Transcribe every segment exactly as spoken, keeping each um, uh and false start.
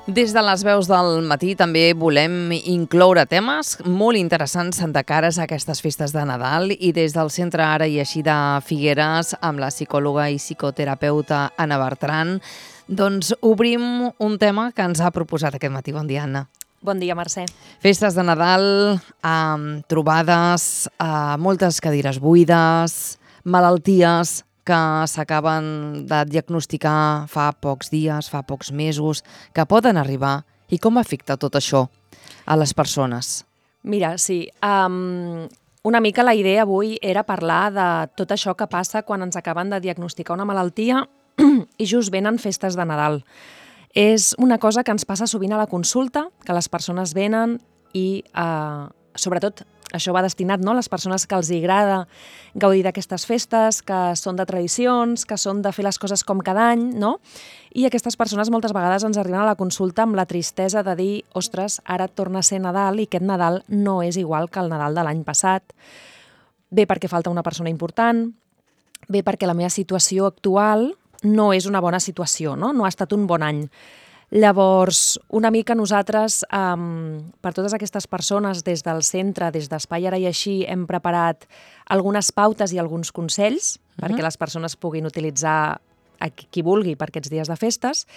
Des de les veus del matí també volem incloure temes molt interessants de cares a aquestes festes de Nadal i des del Centre Ara i Així de Figueres, amb la psicòloga i psicoterapeuta Anna Bertran, doncs obrim un tema que ens ha proposat aquest matí. Bon dia, Anna. Bon dia, Mercè. Festes de Nadal, amb trobades, amb moltes cadires buides, malalties que s'acaben de diagnosticar fa pocs dies, fa pocs mesos, que poden arribar. I com afecta tot això a les persones? Mira, sí, um, una mica la idea avui era parlar de tot això que passa quan ens acaben de diagnosticar una malaltia i just venen festes de Nadal. És una cosa que ens passa sovint a la consulta, que les persones venen i, uh, sobretot, això va destinat, no?, a les persones que els agrada gaudir d'aquestes festes, que són de tradicions, que són de fer les coses com cada any, no? I aquestes persones moltes vegades ens arriben a la consulta amb la tristesa de dir ostres, ara torna a ser Nadal i aquest Nadal no és igual que el Nadal de l'any passat. Bé perquè falta una persona important, bé perquè la meva situació actual no és una bona situació, no? No ha estat un bon any. Llavors, una mica nosaltres, um, per totes aquestes persones, des del centre, des d'Espai Ara i Així, hem preparat algunes pautes i alguns consells uh-huh. perquè les persones puguin utilitzar a qui, qui vulgui per aquests dies de festes,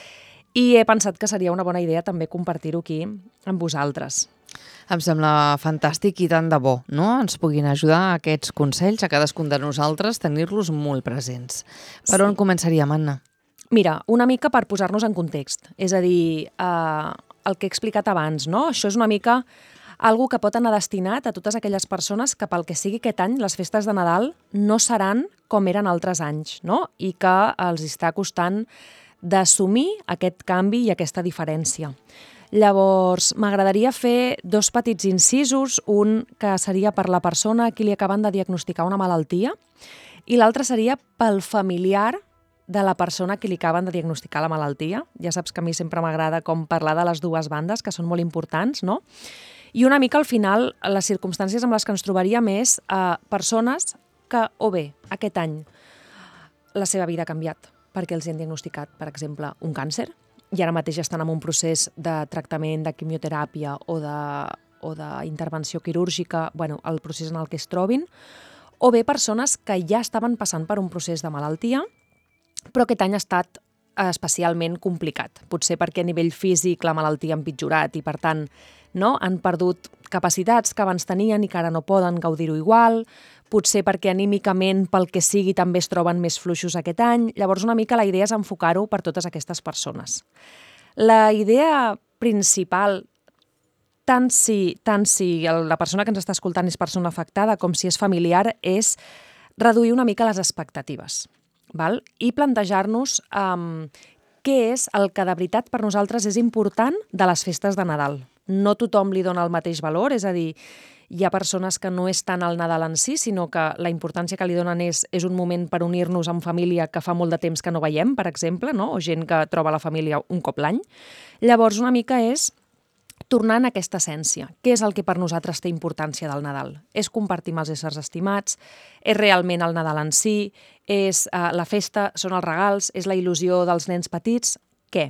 i he pensat que seria una bona idea també compartir-ho aquí amb vosaltres. Em sembla fantàstic i tant de bo, no? Ens puguin ajudar aquests consells a cadascun de nosaltres, tenir-los molt presents. Per sí. On començaríem, Anna? Mira, una mica per posar-nos en context, és a dir, eh, el que he explicat abans, no? Això és una mica algo que pot anar destinat a totes aquelles persones que pel que sigui aquest any les festes de Nadal no seran com eren altres anys, no? I que els està costant d'assumir aquest canvi i aquesta diferència. Llavors, m'agradaria fer dos petits incisos, un que seria per la persona a qui li acaben de diagnosticar una malaltia i l'altre seria pel familiar de la persona a qui li acaben de diagnosticar la malaltia. Ja saps que a mi sempre m'agrada com parlar de les dues bandes, que són molt importants, no? I una mica al final, les circumstàncies amb les que ens trobaríem és eh, persones que, o bé, aquest any la seva vida ha canviat perquè els han diagnosticat, per exemple, un càncer, i ara mateix estan en un procés de tractament, de quimioteràpia o de, o d'intervenció quirúrgica, bueno, el procés en el que es trobin, o bé persones que ja estaven passant per un procés de malaltia, però aquest any ha estat especialment complicat. Potser perquè a nivell físic la malaltia ha empitjorat i, per tant, no, han perdut capacitats que abans tenien i que ara no poden gaudir-ho igual, potser perquè anímicament, pel que sigui, també es troben més fluixos aquest any. Llavors, una mica la idea és enfocar-ho per totes aquestes persones. La idea principal, tant si, tant si la persona que ens està escoltant és persona afectada com si és familiar, és reduir una mica les expectatives. Val? I plantejar-nos um, què és el que de veritat per nosaltres és important de les festes de Nadal. No tothom li dona el mateix valor, és a dir, hi ha persones que no és tant el Nadal en si, sinó que la importància que li donen és, és un moment per unir-nos en família que fa molt de temps que no veiem, per exemple, no? O gent que troba la família un cop l'any. Llavors, una mica és tornant a aquesta essència. Què és el que per nosaltres té importància del Nadal? És compartir amb els éssers estimats? És realment el Nadal en si? És uh, la festa? Són els regals? És la il·lusió dels nens petits? Què?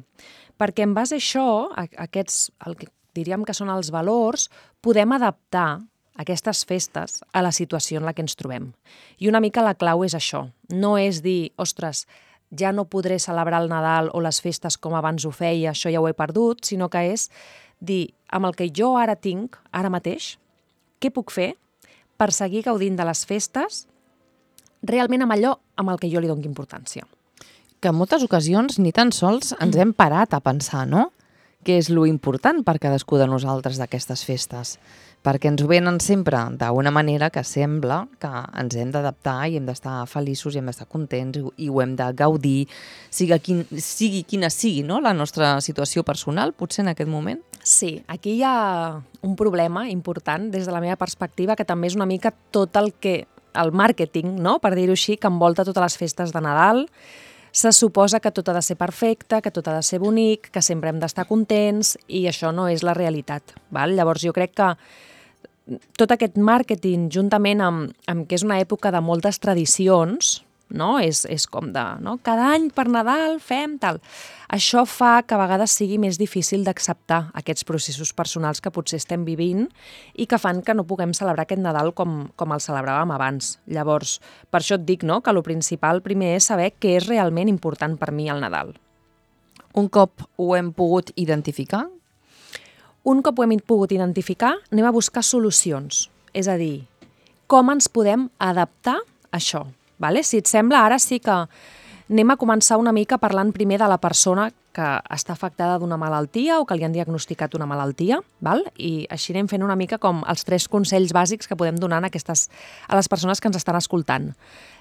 Perquè en base a això, a, a aquests, el que diríem que són els valors, podem adaptar aquestes festes a la situació en la que ens trobem. I una mica la clau és això. No és dir, ostres, ja no podré celebrar el Nadal o les festes com abans ho feia, això ja ho he perdut, sinó que és dir, amb el que jo ara tinc, ara mateix, què puc fer per seguir gaudint de les festes realment amb allò amb el que jo li dono importància. Que en moltes ocasions ni tan sols ens hem parat a pensar, no? Què és lo important per cadascú de nosaltres d'aquestes festes? Perquè ens ho venen sempre d'una manera que sembla que ens hem d'adaptar i hem d'estar feliços i hem d'estar contents i ho hem de gaudir, sigui, quin, sigui quina sigui, no? La nostra situació personal, potser en aquest moment. Sí, aquí hi ha un problema important des de la meva perspectiva, que també és una mica tot el que el màrqueting, no? Per dir-ho així, que envolta totes les festes de Nadal. Se suposa que tot ha de ser perfecte, que tot ha de ser bonic, que sempre hem d'estar contents, i això no és la realitat. Val? Llavors jo crec que tot aquest màrqueting, juntament amb, amb que és una època de moltes tradicions, no? És, és com de, no? Cada any per Nadal fem tal. Això fa que a vegades sigui més difícil d'acceptar aquests processos personals que potser estem vivint i que fan que no puguem celebrar aquest Nadal com, com el celebràvem abans. Llavors, per això et dic, no?, que el principal primer és saber què és realment important per mi al Nadal. Un cop ho hem pogut identificar? Un cop ho hem pogut identificar, anem a buscar solucions. És a dir, com ens podem adaptar a això. Vale? Si et sembla, ara sí que anem a començar una mica parlant primer de la persona que està afectada d'una malaltia o que li han diagnosticat una malaltia, val? I així anem fent una mica com els tres consells bàsics que podem donar a, aquestes, a les persones que ens estan escoltant.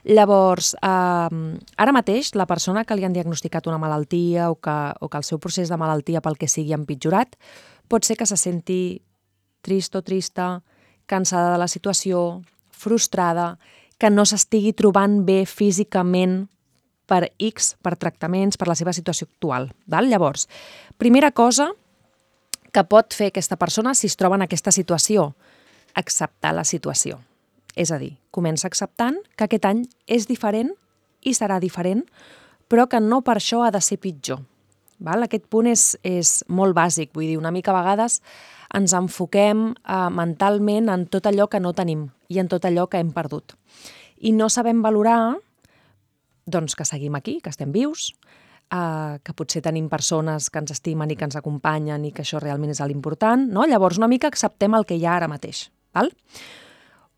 Llavors, eh, ara mateix, la persona que li han diagnosticat una malaltia o que, o que el seu procés de malaltia pel que sigui ha empitjorat, pot ser que se senti trist o trista, cansada de la situació, frustrada, que no s'estigui trobant bé físicament per X, per tractaments, per la seva situació actual. Val? Llavors, primera cosa que pot fer aquesta persona si es troba en aquesta situació, acceptar la situació. És a dir, comença acceptant que aquest any és diferent i serà diferent, però que no per això ha de ser pitjor. Val? Aquest punt és, és molt bàsic, vull dir, una mica a vegades ens enfoquem eh, mentalment en tot allò que no tenim i en tot allò que hem perdut. I no sabem valorar doncs, que seguim aquí, que estem vius, eh, que potser tenim persones que ens estimen i que ens acompanyen i que això realment és l'important, no? Llavors una mica acceptem el que hi ha ara mateix. Val?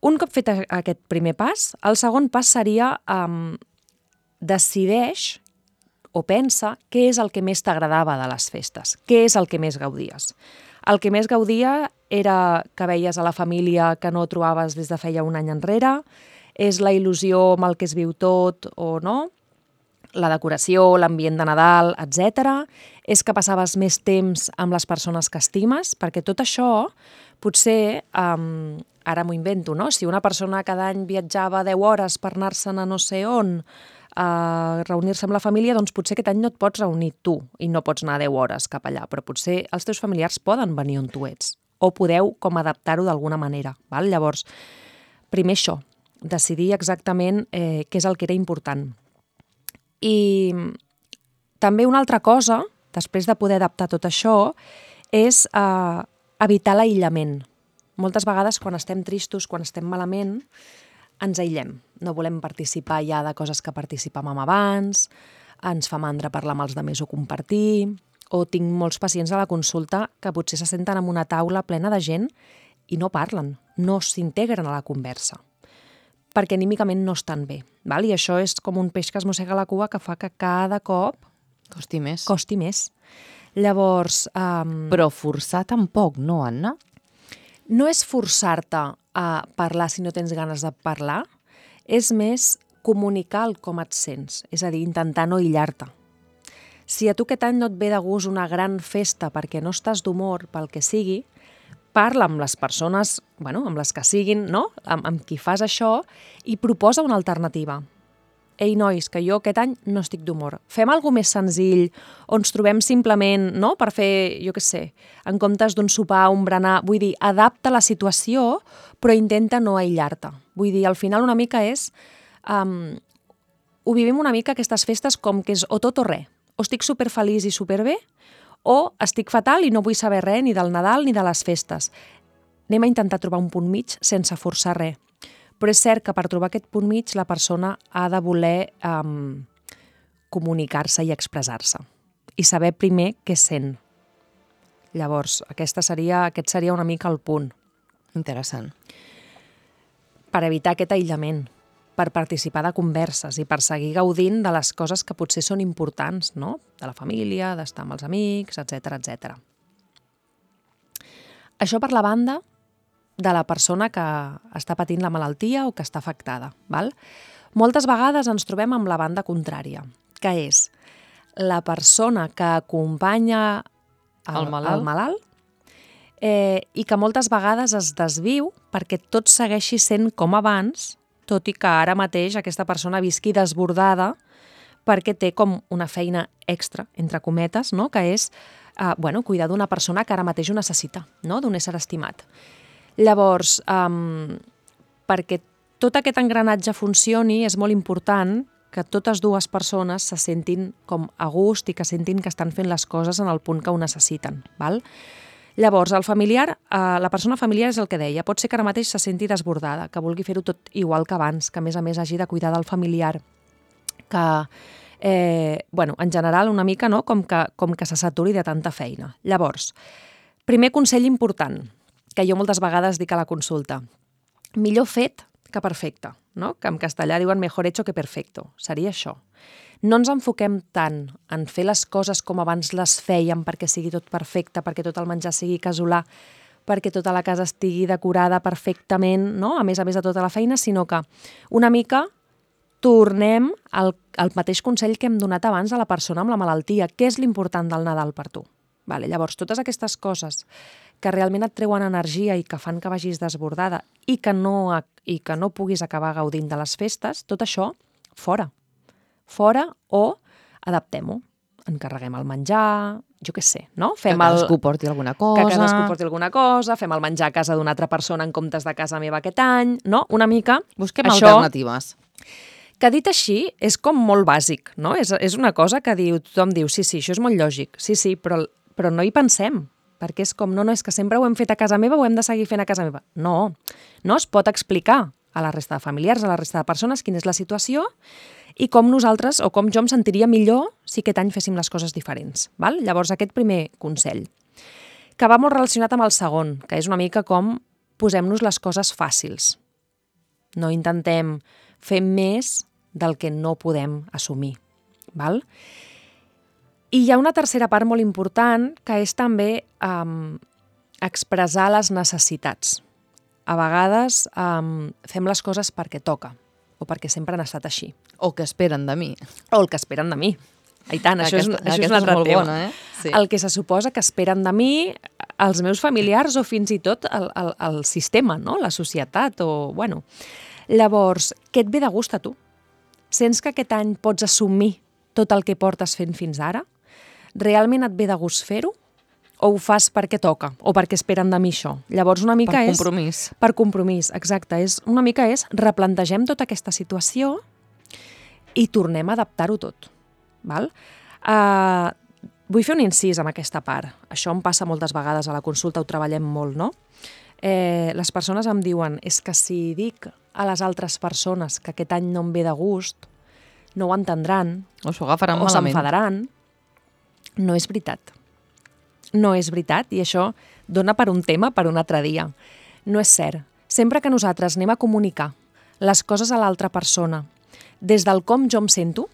Un cop fet aquest primer pas, el segon pas seria eh, decideix o pensa què és el que més t'agradava de les festes, què és el que més gaudies. El que més gaudia era que veies a la família que no trobaves des de feia un any enrere, és la il·lusió amb el que es viu tot o no, la decoració, l'ambient de Nadal, etcètera. És que passaves més temps amb les persones que estimes, perquè tot això potser, um, ara m'ho invento, no? Si una persona cada any viatjava deu hores per anar-se'n a no sé on, a reunir-se amb la família, doncs potser aquest any no et pots reunir tu i no pots anar deu hores cap allà, però potser els teus familiars poden venir on tu ets o podeu com adaptar-ho d'alguna manera. Val? Llavors, primer això, decidir exactament eh, què és el que era important. I també una altra cosa, després de poder adaptar tot això, és eh, evitar l'aïllament. Moltes vegades quan estem tristos, quan estem malament, ens aïllem. No volem participar ja de coses que participàvem abans, ens fa mandra parlar amb els altres o compartir, o tinc molts pacients a la consulta que potser se senten en una taula plena de gent i no parlen, no s'integren a la conversa, perquè anímicament no estan bé. Val? I això és com un peix que es mossega la cua que fa que cada cop costi més. Costi més. Llavors... Um... Però forçar tampoc, no, Anna? No és forçar-te a parlar si no tens ganes de parlar, és més comunicar el com et sents, és a dir, intentar no aïllar-te. Si a tu aquest any no et ve de gust una gran festa perquè no estàs d'humor pel que sigui, parla amb les persones, bueno, amb les que siguin, no? amb, amb qui fas això, i proposa una alternativa. Ei, nois, que jo aquest any no estic d'humor. Fem alguna més senzill, on ens trobem simplement, no?, per fer, jo què sé, en comptes d'un sopar, un berenar, vull dir, adapta la situació, però intenta no aïllar-te. Vull dir, al final una mica és... Um, ho vivim una mica aquestes festes com que és o tot o res. O estic superfeliç i superbé, o estic fatal i no vull saber res ni del Nadal ni de les festes. Anem a intentar trobar un punt mig sense forçar res. Però és cert que per trobar aquest punt mig la persona ha de voler um, comunicar-se i expressar-se i saber primer què sent. Llavors, aquesta seria, aquest seria una mica el punt. Interessant. Per evitar aquest aïllament, per participar de converses i per seguir gaudint de les coses que potser són importants, no? De la família, d'estar amb els amics, etcètera, etcètera. Això per la banda de la persona que està patint la malaltia o que està afectada. Val? Moltes vegades ens trobem amb la banda contrària, que és la persona que acompanya el, el malalt, el malalt eh, i que moltes vegades es desviu perquè tot segueixi sent com abans, tot i que ara mateix aquesta persona visqui desbordada perquè té com una feina extra, entre cometes, no? Que és eh, bueno, cuidar d'una persona que ara mateix ho necessita, no? D'un ésser estimat. Llavors, um, perquè tot aquest engranatge funcioni, és molt important que totes dues persones se sentin com a gust i que sentin que estan fent les coses en el punt que ho necessiten. Val? Llavors, el familiar, eh, la persona familiar és el que deia, pot ser que ara mateix se senti desbordada, que vulgui fer-ho tot igual que abans, que a més a més hagi de cuidar del familiar, que, eh, bueno, en general una mica no? com, que, com que se saturi de tanta feina. Llavors, primer consell important, que jo moltes vegades dic a la consulta, millor fet que perfecte, no? Que en castellà diuen mejor hecho que perfecto, seria això. No ens enfoquem tant en fer les coses com abans les fèiem perquè sigui tot perfecte, perquè tot el menjar sigui casolà, perquè tota la casa estigui decorada perfectament, no? A més a més de tota la feina, sinó que una mica tornem al, al mateix consell que hem donat abans a la persona amb la malaltia. Què és l'important del Nadal per tu? Vale, llavors, totes aquestes coses que realment et treuen energia i que fan que vagis desbordada i que no, i que no puguis acabar gaudint de les festes, tot això, fora. Fora o adaptem-ho. Encarreguem el menjar, jo què sé, no? Fem que cadascú el... porti alguna cosa. Que cadascú porti alguna cosa, fem el menjar a casa d'una altra persona en comptes de casa meva aquest any, no? Una mica... Busquem això, alternatives. Que dit així, és com molt bàsic, no? És, és una cosa que diu, tothom diu, sí, sí, això és molt lògic, sí, sí, però, però no hi pensem, perquè és com, no, no, és que sempre ho hem fet a casa meva, ho hem de seguir fent a casa meva. No, no es pot explicar a la resta de familiars, a la resta de persones, quina és la situació i com nosaltres, o com jo em sentiria millor si aquest any féssim les coses diferents. Val? Llavors, aquest primer consell, que va molt relacionat amb el segon, que és una mica com posem-nos les coses fàcils. No intentem fer més del que no podem assumir. Val? I hi ha una tercera part molt important, que és també um, expressar les necessitats. A vegades um, fem les coses perquè toca, o perquè sempre han estat així. O que esperen de mi. O el que esperen de mi. I tant, això és, això és un altre és tema. Bona, eh? Sí. El que se suposa que esperen de mi els meus familiars o fins i tot el, el, el sistema, no? La societat. O, bueno. Llavors, què et ve de gust a tu? Sents que aquest any pots assumir tot el que portes fent fins ara? Realment et ve de gust fer-ho? O ho fas perquè toca? O perquè esperen de mi això? Llavors una mica per és... Per compromís. Per compromís, exacte. És, una mica és replantegem tota aquesta situació i tornem a adaptar-ho tot. Val? Uh, vull fer un incís amb aquesta part. Això em passa moltes vegades a la consulta, ho treballem molt, no? Eh, les persones em diuen és que si dic a les altres persones que aquest any no em ve de gust, no ho entendran, o s'ho agafaran o malament. s'enfadaran. No és veritat. No és veritat, i això dona per un tema per un altre dia. No és cert. Sempre que nosaltres anem a comunicar les coses a l'altra persona des del com jo em sento,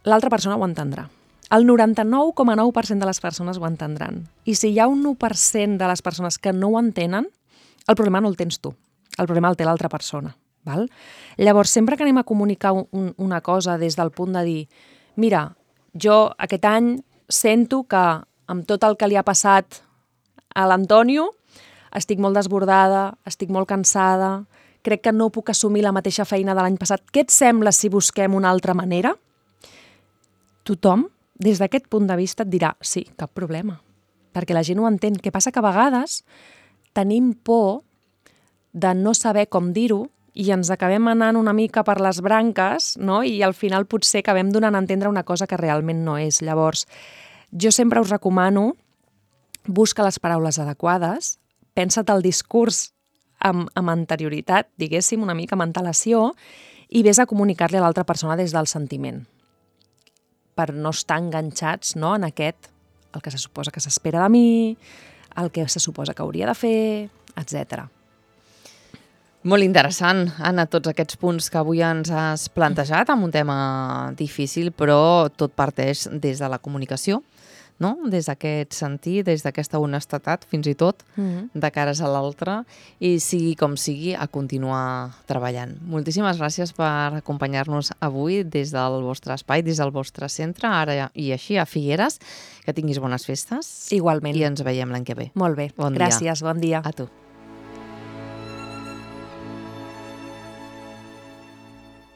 l'altra persona ho entendrà. El noranta-nou coma nou per cent de les persones ho entendran. I si hi ha un u per cent de les persones que no ho entenen, el problema no el tens tu. El problema el té l'altra persona. Val? Llavors, sempre que anem a comunicar un, una cosa des del punt de dir mira, jo aquest any sento que amb tot el que li ha passat a l'Antonio estic molt desbordada, estic molt cansada, crec que no puc assumir la mateixa feina de l'any passat. Què et sembla si busquem una altra manera? Tothom, des d'aquest punt de vista, et dirà sí, cap problema, perquè la gent ho entén. Què passa? Que a vegades tenim por de no saber com dir-ho i ens acabem anant una mica per les branques, no? I al final potser acabem donant a entendre una cosa que realment no és. Llavors, jo sempre us recomano busca les paraules adequades, pensa't el discurs amb, amb anterioritat, diguéssim, una mica amb antelació, i vés a comunicar-li a l'altra persona des del sentiment, per no estar enganxats, no, en aquest, el que se suposa que s'espera de mi, el que se suposa que hauria de fer, etcètera. Molt interessant, Anna, tots aquests punts que avui ens has plantejat amb un tema difícil, però tot parteix des de la comunicació, no? Des d'aquest sentir, des d'aquesta honestedat, fins i tot, mm-hmm. de cares a l'altre, i sigui com sigui, a continuar treballant. Moltíssimes gràcies per acompanyar-nos avui des del vostre espai, des del vostre centre, ara i així a Figueres. Que tinguis bones festes. Igualment. I ens veiem l'any que ve. Molt bé. Bon gràcies, dia. Bon dia. A tu.